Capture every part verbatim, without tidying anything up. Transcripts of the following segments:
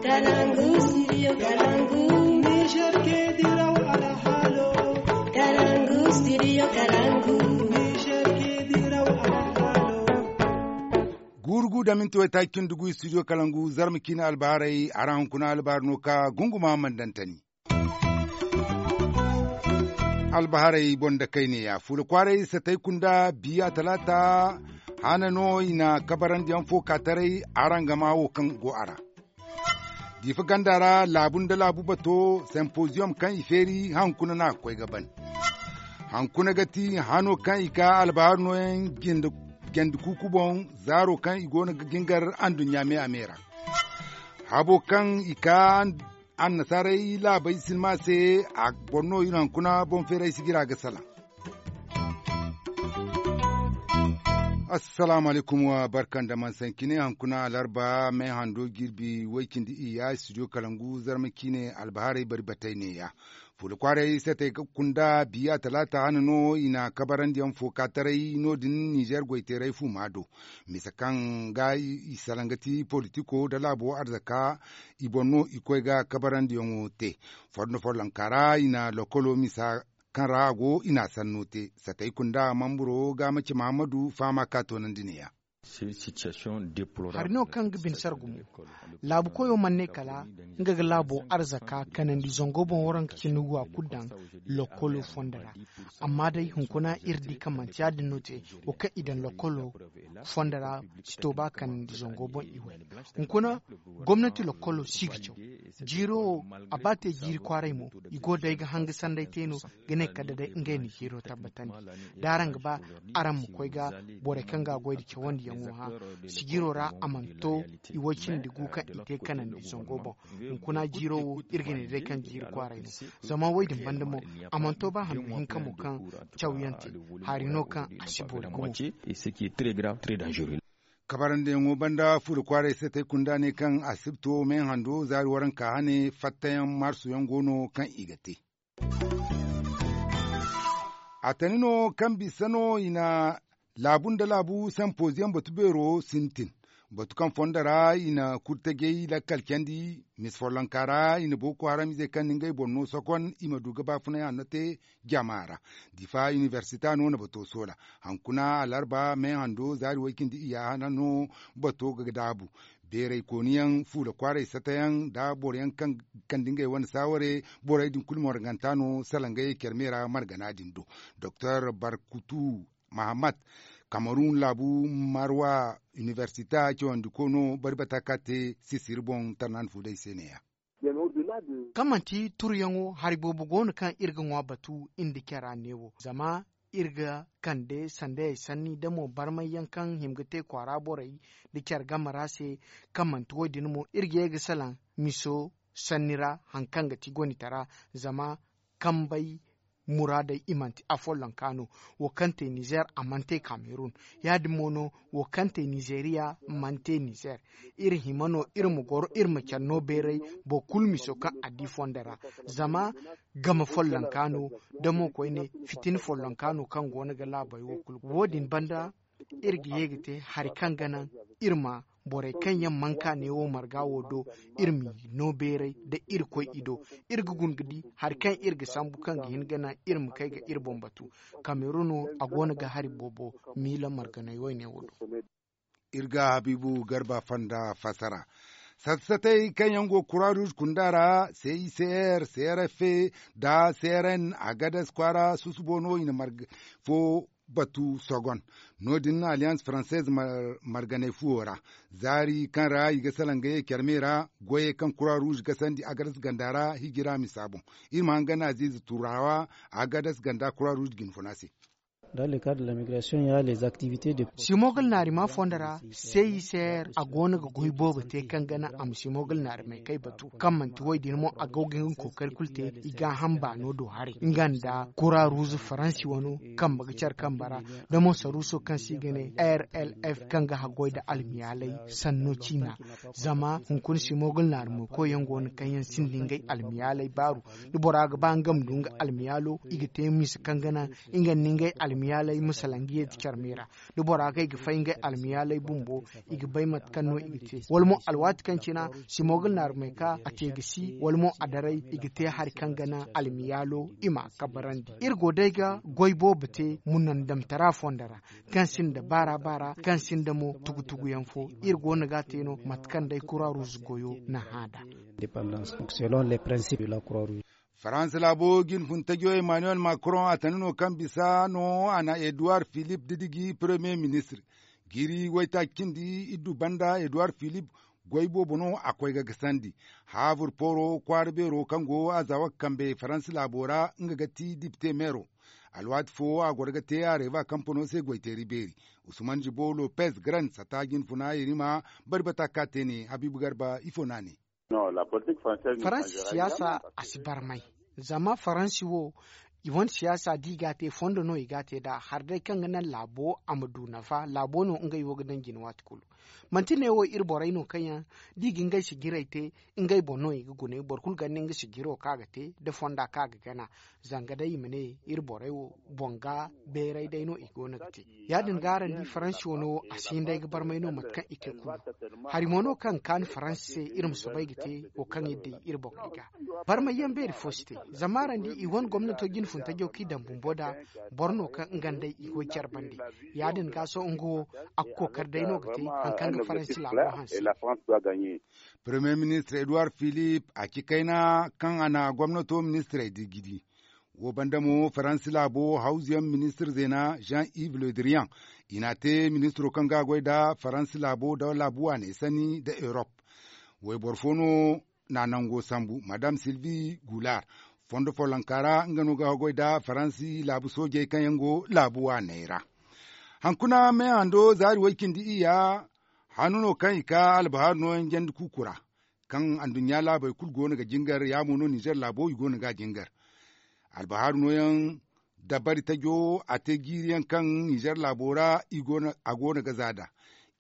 Kalangu, studio Kalangu. Niger ke diraw alhalo. Kalangu, studio Kalangu. Niger ke diraw alhalo. Gurugu da minti waytaaci cindi gu studio Kalangu, zarma ciine albaharay, a ra hunkuna albaharay no ka gunguma mandantani. Albaharay boŋ da kayne ya fuula kwaaray satay kunda biya talaata. Hana no i na kabarandiyaŋ fo ka taray. Araŋ gama wo kaŋ go a ra diifa ganda ra laabu nda laabu bato simposium kaŋ i feeri hankuna no a ga koy ga ban. Hankuna ga ti hano kaŋ i ka albaharu nooyaŋ jandi kuuku boŋ zaaro kaŋ i go no ga jingar anduɲɲa me a me ra. Habo kaŋ i ka annasaaray laabey sinma se a boro no iri hankuna boŋ feeray sijira ga salaŋ. Assalaamu alaykum wa barka nda man sankine hankuna alarba me hando jirbi way cindi iyya studio kalangu zarma ciine albaharay bari batay neeya. Fuula kwaaray satay ga kunda biya talaata hane no i na kabarandiyaŋ fo ka taray no- din nizer goyteeray fuuma do. Misa kaŋ ga i salaŋ ga ti politiko nda laabo arzaka i boŋ no i koy ga kabarandiyaŋo te. Fondo follonka ra i na lokolo misa kaŋ ra a go i na a sanno te satay kunda mamburo ga mace mahammadu fahama ka toonandi neeya. Hari no kaŋ ga bine sara gumo. Laabu koyo mana ne kala nga ga laabo arzaka kanandi zango boŋ waranka cindi gu a kulu daŋ lokolo fondo ra. Amma day hunkuna iri di kaŋ manti ya- din no te wo kaŋ i daŋ lokolo fondo ra si to ba kanandi zango boŋ i way. Hunkuna gomnati lokolo si ga caw jiiro wo a ba te jiiri kwaaray mo i go day ga hanga sanday te no ga ne kala day ngey na jiiro tabbatandi. Da araŋ ga ba araŋ ma koy ga borey kaŋ ga a goy nda cawandiyaŋo hã sijiro ra a mana to i way cindi gu kaŋ i te kanandi zango boŋ. Hunkuna jiiro wo iri ga ne day kaŋ jiiri kwaaray no. Zama wo- din banda mo a mana to ba handu hinka mo kaŋ cawyaŋ te hari no kaŋ a si boori gumo. Kabarandiyaŋo banda fuula kwaaray se tay kunda ne kaŋ asibto me hando zaari waranka hane fattayaŋ marsuyaŋ go no kaŋ i ga te. A tani no kaŋ bisa no i na laabu nda laabu sampoziyaŋ batu beero sintin. Batu kaŋ fondo ra i na kurtajey lakkal candi misa follonka ra i na boko haram izey kaŋ na ngey boŋ no sokon i ma du ga baafunay hanno te jama ra. Difa inibersita no na bato soola hankuna alarba me hando zaari way cindi iyya hana no bato ga daabu. Beeray kooniyaŋ fuula kwaaray satayaŋ nda boroyaŋ kaŋ kande ngey wane saaware borey din kulu marganta no salaŋ ga ye care me ra margana din do. Doktor barkutu mahammad kamarun laabu marwa inibersita cawandiko no bari bata ka te sisiri boŋ tarnan fuuday se neeya. Kaŋ manti turuyaŋo hari boobo go no kaŋ iri ga ŋwa batu iri nda cara neewo zama iri ga kande sandayey sanni da mo barmayyaŋ kaŋ hima ga te kwaara borey nda care game ra se. Kaŋ manti wo- din mo iri ga ye ga salaŋ miso sanni ra hari kaŋ ga ti gonitara zama kambey muraadey i mana ti afollonka no. Wo kaŋ te nizer a mana te kamerun ya- din mo no wo kaŋ te nizeriya mana te nizer. Iri hima no iri ma goro iri ma care no beeray boro kulu miso kaŋ a di fondo ra zama game follonka no da mo koyne fitina follonka no kaŋ go no ga laabey wo kulu wo- din banda iri ga ye ga te hari kaŋ ga naŋ iri ma borey kaŋ yaŋ mana ka neewo marga wo do iri m'i no beeray da irkoy i do. Iri ga guna ga di hari kaŋ iri ga sambu kaŋ ga hin ga naŋ iri ma kay ga iri boŋ batu. Kamerun wo a go no ga hari boobo miila marganay wayne wo do. Iri ga habiibu garba fonda fassara satta-satay kaŋ yaŋ go kura ruuz kunda ra cicr crf nda crn agadas kwaara susubo no i na marga fo batu sogon. No- din alliance française marganay fuwo ra zaari kaŋ ra i ga salaŋ ga ye care me ra goyey kaŋ kura ruuz gasandi agadas ganda ra hijira misa boŋ. Iri ma hangan aziize turawa agadas ganda kura ruuz ga hin funa se. Dans le cadre de la migration ya les activités de simogal naarima fondo ra cicr a go no ga goy boobo te kaŋ ga naŋ a ma simogal naarimay kay batu kaŋ manti wo- din mo a go ga hin ga kookari kulu te. I ga hamba no do haray nga nda kura ruuz faransi wano kambe ga care kambe ra da mo saruuso kaŋ se i ga ne rlf kaŋ ga haggoy nda almiyaalay sanno ciina. Zama hunkuna simogal naarimo koyyaŋ go no kaŋ yaŋ sinda ngey almiyaalay baaru da bora ga ba nga ma du nga almiyaalo i ga te misa kaŋ ga naŋ nga nda ngey almiyaalo. Almiyaaley ma salaŋ ga yeeti care me ra. Da bora ga ay ga fay ngey almiyaaley bumbo, i ga bay mate kaŋ no i ga te wala mo alwaati kaŋ cina, simogul naarumey ka a te ga si wala mo a daray i ga te hari kaŋ ga naŋ almiyaalo i ma a kabarandi. Iri go day ga goy boobo te munandamtara fondo ra, kaŋ sinda baara baara, kaŋ sinda mo tugu tugu yaŋ fo. Iri go no ga a te no mate kaŋ day kura ruuzu goyo na hã nd'a. Faransa laabo jinfun tajo emmanuel macron a tana no kaŋ bisa no a na edouard philippe didiji premier ministre. Jiiri waytaaci cindi iddu banda edouard philippe goy boobo no a koy ga gasandi. Haabur pooro kwaara beero kaŋ go a zawa ga kambe faransa laabo ra nga ga ti dipte meero. Alwaati fo a goro ga te a reeba kampano se goyteeri beeri. Usman jibo lopez grand sata jinfuna iri ma bari bata ka te ne habiibu garba ifo no a ne. Faransi siyaasa a si barmay. Zama faransi wo i wane siyaasa da i ga a te fondo no i ga a te nd'a hari day kaŋ ga naŋ laabo a ma du nafa laabo no ngey wo ga daŋ jine waati kulu. Manti ne wo iri borey no kaŋ yaŋ da i ga ngey sijirey te, ngey boŋ no i ga gune boro kulu ganda nga sijiro kaŋ a ga te nda fonda kaŋ a ga gana. Zanga day i ma ne iri borey wo boŋ ga beeray day no i go no ga te. Ya- din ga araŋ di faransi wane wo a si hin day ga barmay no mate kaŋ i te kulu. Hari mo no kaŋ ga kaanu faransi se iri ma soobay ga te wo kaŋ iri day iri boŋey ga. Barmay yaŋ beeri fo si te. Zama araŋ di i wane gomnato jinfuntajo kaŋ i daŋ bumbo nd'a boro no kaŋ nga nda i goy care bande. Ya- din ga sohõ nga wo a ga kookari day no ga te hari kaŋ ga faransi laabo hanse. Premier ministre edouard philippe a ci kayna kaŋ a na gomnato ministirey didiji. Wo banda mo faransi laabo hawzuyaŋ ministir zeena jean yves le drian i n'a te ministiro kaŋ ga a goy nda faransi laabo nda laabu waaney sanni nda erop. Wayboro fo no na nango sambu madame sylvie goulard fondo follonka ra nga no ga a goy nda faransi laabu soojey kaŋ yaŋ go laabu waaney ra. Hankuna me hando zaari way cindi iyya hanno no kaŋ i ka albahaaru nooyaŋ jandi kuuku ra. Kaŋ anduɲɲa laabey kulu go no ga jingar ya mo no nizer laabo i go no ga a jingar. Albahaaru nooyaŋ dabari tajo a te jiiri yaŋ kaŋ nizer laabo ra a go no ga za nd'a.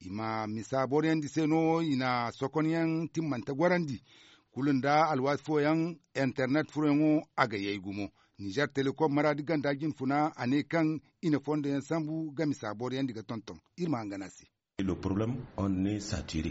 I ma misa boroyandi se no i na sokonyaŋ timmante gorandi. Kulu nda alwaati fooyaŋ internet furoyaŋo a ga yay gumo. Nizer telekom maraadi ganda jinfuna a ne kaŋ i na fondo yaŋ sambu ga misa boroyandi ga tonton. Iri ma hangan a se.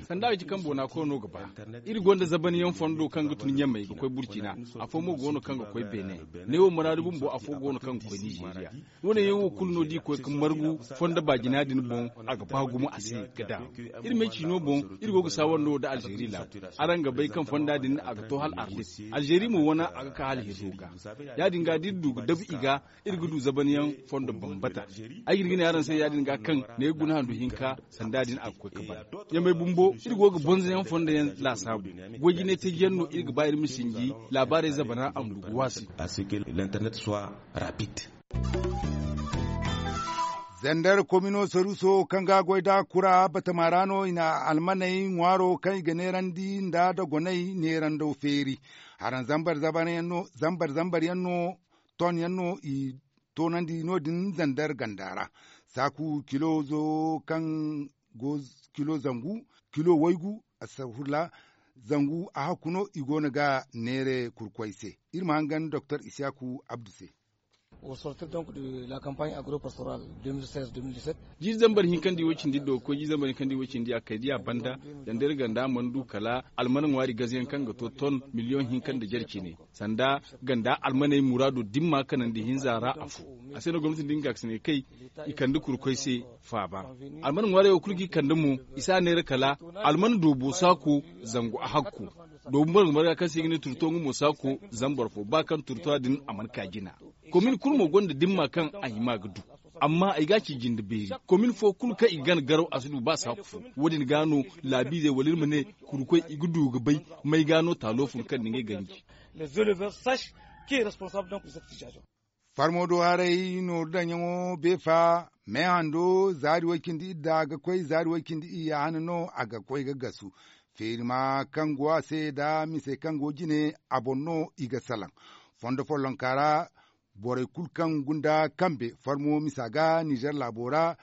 Sanda a ga ci kaŋ boona koy no ga ba. Iri gonda zabanyaŋ fondo kaŋ ga tun ɲamey ga koy burcina. Afo mo go no kaŋ ga koy beene. Neewo maraadi bumbo afo go no kaŋ ga koy nizeeriya. Wo- ne yaŋ wo kulu no da i koy ga margu fondo baajina din boŋ. A ga ba gumo a se ga daŋ. Iri me ciino boŋ iri go ga saawar no nda alzeeri laabu. Araŋ ga bay kaŋ fonda din a ga to hala arlit. Alzeeri mo wane a ga ka hala hirro ga. Ya- din ga da iri du ga dabu i ga iri ga du zabanyaŋ fondo bambata. Ay ga hin ga ne araŋ se ya- din ga kaŋ ne ga guna handu hinka sanda din a ga koy ga ban. Ɲamey bumbo iri go ga bonzoyaŋ fondo yaŋ laasaabu. Goy jinay taji yaŋ no iri ga ba iri ma sinji laabaarey zabana a ma du ga waasi. Zandar komino saruso kaŋ ga a goy nda kura batama ra no i na almaney ŋwaaro kaŋ i ga neerandi nda dogoney neerando feeri. Haraŋ zambar zambar yaŋ no ton yaŋ no i toonandi no- din zandar ganda ra. Saaku kilo zo kaŋ go kilo zangu kilo waygu astagfirullah. Zangu a hakku no i go no ga neere kurkoy se. Iri ma hangan doktor isiyaku abdu se. Jiiri zambar hinkandi wo cindi do ga koy jiiri zambar hinkandi wo cindi a kay diya banda. Zandar ganda mana du kala almana ŋwaari gaze yaŋ kaŋ ga to ton miliyoŋ hinka nda jare cine. Sanda ganda almaney muraado dimma kanandi hinza ra afo. A se no gomnati din ga kande kay i kande kurkoy se faaba. Almana ŋwaarey wo kulu ga i kande mo i si a neera kala almana doobo saako zangu a hakko. Doobo marga marga kaŋ se i ga ne turto nga mo saako zama boro fo ba kaŋ turto din a mana ka jina. Komin kulu mo gonda dimma kaŋ a hima ga du. Amma ay ga ci jinde beeri komin fo kulu kaŋ i ga gana garaw a si du ba saako fo. Wo- din ga no laabiizey wala iri ma ne kurkoy i ga du ga bay may ga no taalo fun kaŋ na ngey ganji. Farmo do haray nooru daŋyaŋo beefa me hando zaari way cindi idda ga koy zaari way cindi iyya hane no a ga koy ga gasu. Feeri ma kaŋ go a se nda misey kaŋ go jine a boŋ no i ga salaŋ. Fondo follonka ra borey kulu kaŋ gunda kambe farmo misa ga nizer laabo ra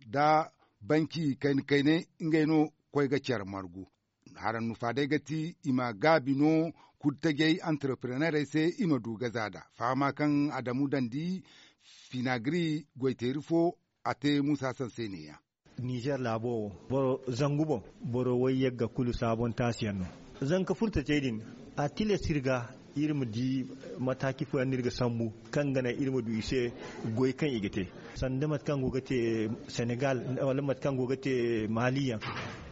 nda banki kayna kayna ngey no koy ga care margu. Haraŋ nufa day ga ti i ma gaabi no kudtajey entrepreneurey se i ma du ga za nd'a fahama kaŋ adamu dandi. Finagri goyteeri fo a te muusa sanse ne- ya. Nizer laabo wo boro zangu boŋ, boro wayyagga kulu saabon taasi yaŋ no. Zanka furtacey din, a tilas iri ga iri ma di mataaki fooyaŋ no iri ga sambu, kaŋ ga naŋ iri ma du i se goy kaŋ i ga te, sanda mate kaŋ go ga te senegal, wala mate kaŋ go ga te maali yaŋ.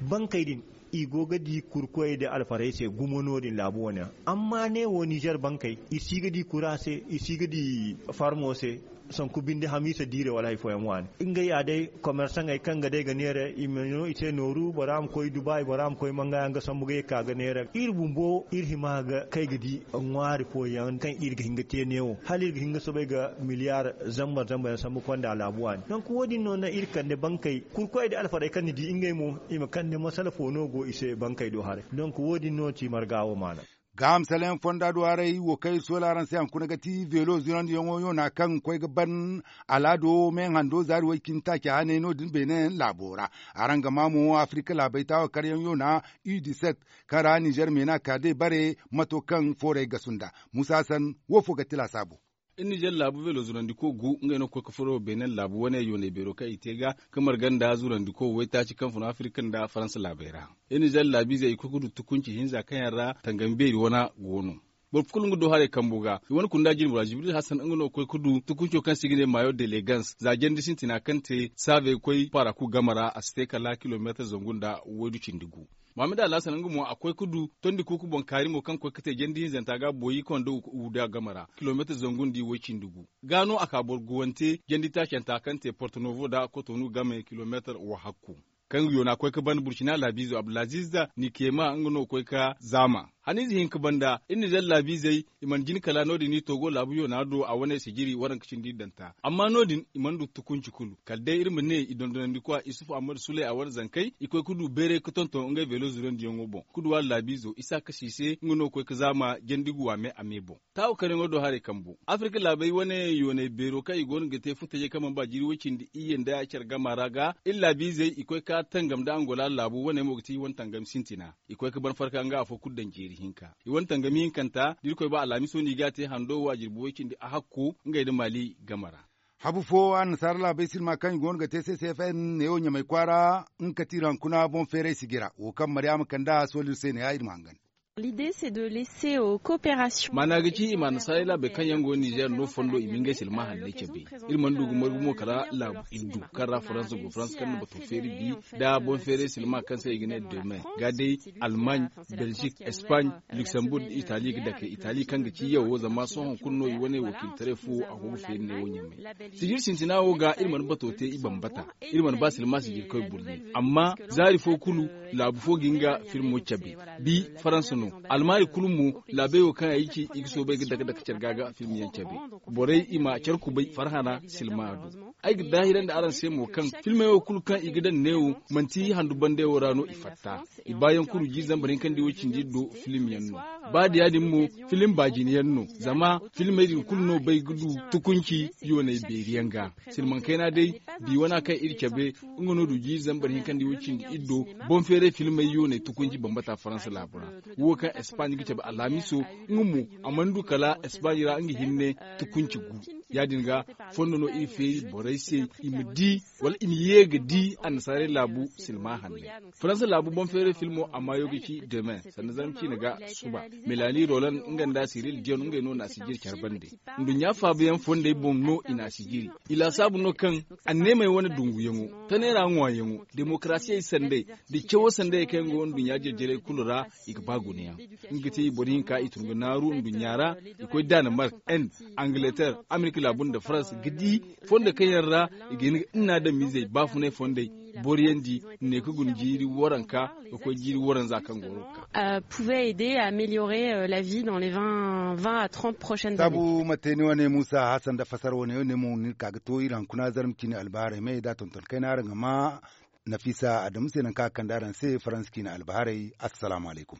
Bankey din, i go ga di kurkoyey nda alfarey se gumo no- din laabu wane ra. Amma ne wo nizer bankey, i si ga di kura se, i si ga di farmo se, sanku binde hamiisa diire wala hari fooyaŋ waani. Ngey ya day komersaŋey kaŋ ga day ga neera i ma no i se nooru, bora ma koy dubai, bora ma koy manga yaŋ ga sambu ga ye ga ka ga neera iri bumbo iri hima ga kay ga di ŋwaari fooyaŋ kaŋ iri ga hin ga te neewo hala iri ga hin ga soobay ga miliyaar zambar zambar yaŋ sambu konda laabu waani. Donk wo- din no naŋ iri kande bankey kurkoy nda alfarey kaŋ ni di ngey mo, i ma kande masala fo no go i se bankey do haray. Donk wo- din no ti marga wo maana. Gaaham salayaŋ fonda do haray wo kaŋ iri soola araŋ se haŋ kuna ga ti veelo zunandiyaŋo yoona kaŋ ga koy ga ban alaado meeŋ hando zaari way- cindi taaci haney no- din beene laabo ra. Araŋ ga maa mo afirika laabey taawa karyaŋ yoona u dix-sept, kaŋ ra nizer meena ka day bare mato kaŋ foorey gasu nda. Muusa san wo fo ga ti laasaabu. Iri nizer laabu veelo zunandiko gu ngey no ga koy ga furo beene laabu wane yooney beero kaŋ i te ga ka marga nda zunandiko waytaaci kaŋ fun afirika nda faransa laabey ra. Iri nizer laabiizey i koy ga du tukunci hinza kaŋ yaŋ ra tangami beeri wana go no. Boro kulu nga do haray kambo ga i wane kunda jirbi ra jibril hasan nga no ga koy ga du tukunco kaŋ se i ga ne maayo delegans za jandi sintina kaŋ te saabey ga koy paaraku game ra a si te kala kilomeetar zangu nda waydu cindi gu. Muhammad alhasan nga mo a koy ga du tondi kuuku boŋ kaari mo kaŋ ga koy ga te jandi hinzanta ga boyi kaŋ nda wuda game ra kilomeetar zangu nda way cindi gu. Ga no a ka boro guwante jandi taacanta kaŋ te porto novo nda kotonu game kilomeetar wahakku. Kaŋ yoona koy ga ban burcina laabiizo abdulaziz, ni keema nga no ga koy ga zaama haniize hinka banda iri nizer laabiizey i mana jin kala no- din i togo laabu yoona do a wane sijiri waranka cindi danta amma no- din i mana du tukunci kulu kala day iri ma ne i dondonandikwa isufu ammadu suley a wane zankey i koy ga du beeray ga tonton ngey veelo zurandiyaŋo boŋ ga du a laabiizo isa kasi se nga no ga koy ga zaama jandi guwa me a me boŋ. Taawo karyaŋo do haray kambo afirka laabey wane yooney beero kaŋ i go no ga te futajey kaŋ mana ba jiiri way cindi iyye nda care gama ra ga iri laabiizey i koy ga tangam nda angola laabu wane mo ga ti i wane tangam sintina. I koy ga ban farka nga afo kulu daŋ jeeri hinka i wane tangami hinkanta da irkoy ba alhamiso no i ga a te hando wo a jirbi way cindi a hakko ngey nda maali game ra. Habu fo annasaara laabey silma kaŋ i go no ga te ccfn neewo ɲamay kwaara nga kati iri hankuna boŋ feeray sijira wo kaŋ maryaama kand'a sooliri se ne-ya iri ma hangan. Maana ga ci i ma annasaara laabey kaŋ yaŋ go nizer no fondo i ma ngey silma hanney cabe. Iri mana du ga margu mo kala laabu iddu kaŋ ra faransa go faransa kaŋ na bato feeri bi nda boŋ feeray silma kaŋ se i ga ne dome ga day almaaɲ, belzik, espaaɲ, luksemburg nda itali ga dake itali kaŋ ga ci yawo zama sohõ kulu no i wane wakiiltaray fo a go ga feeri ne wo ɲamay. Sijir sintina wo ga iri mana bato te i bambata. Iri mana ba silma sijirkoy burɲe amma zaari fo kulu laabu fo ga nga filmo cabe. Bi faransa no almaari kulu mo laabey wo kaŋ ay ci i ga soobay ga dake dake care ga ga filmyaŋ cabe. Borey i ma care kubay farhana silma do. Ay ga daahirandi araŋ se mo kaŋ filmey wo kulu kaŋ i ga daŋ neewo manti handu bande wo ra no i fatta. I baayaŋ kulu jiiri zambar hinkandi wo cindi do filim yaŋ no. Ba da ya- din mo filim baajine yaŋ no zama filimey din kulu no bay ga du tukunci yooney beeri yaŋ ga. Silmaŋ kayna day bi wana kaŋ iri cabe nga no du jiiri zambar hinkandi wo cindi iri do boŋ feeray filimey yooney tukunci bambata faransa laabu ra. Wo kaŋ espaaɲ ga cabe alhamiso nga mo a mana du kala espaaɲ ra nga hinne tukunci gu. Ya- din ga fondo no iri feeri borey se i ma di wala i ma ye ga di annasaarey laabu silma hanney. Faransa laabu boŋ feeray filmo a maayo ga ci deme sanda zarma ciine ga suba. Melanie roland nga nda siril dion ngey no na sijir care bande. Nduɲɲa faabayaŋ fondey boŋ no i na sijiri. I laasaabu no kaŋ anneemey wane dunguyaŋo tanay ra ŋwaayaŋo demokarasiyey sanday da cawo sanday kaŋ yaŋ go nduɲɲa jarjarey kulu ra i ga ba gunayaŋ. Nga ga te boro hinka i tun ga naaru nduɲɲa ra. I koy danemark, inde, angleterre, amerika laabu nda farans ga di fondo kaŋ yaŋ ra i ga hin ga ina adamizey baafunay fondey boriyandi ne ga guna jiiri waranka ga koy jiiri waranza kaŋ goro ga ka. Pouvait aider à améliorer la vie dans les vingt à trente prochaines années. Saabu ma te ni wane muusa hasan nda fasar wane wane mo ni ga ka ga to iri hankuna zarma ciine albaharay me da tonton kayna araŋ ga ma nafiisa adamu se nangu kaŋ a kande araŋ se faransa ciine albaharay. Assalaamu alaykum.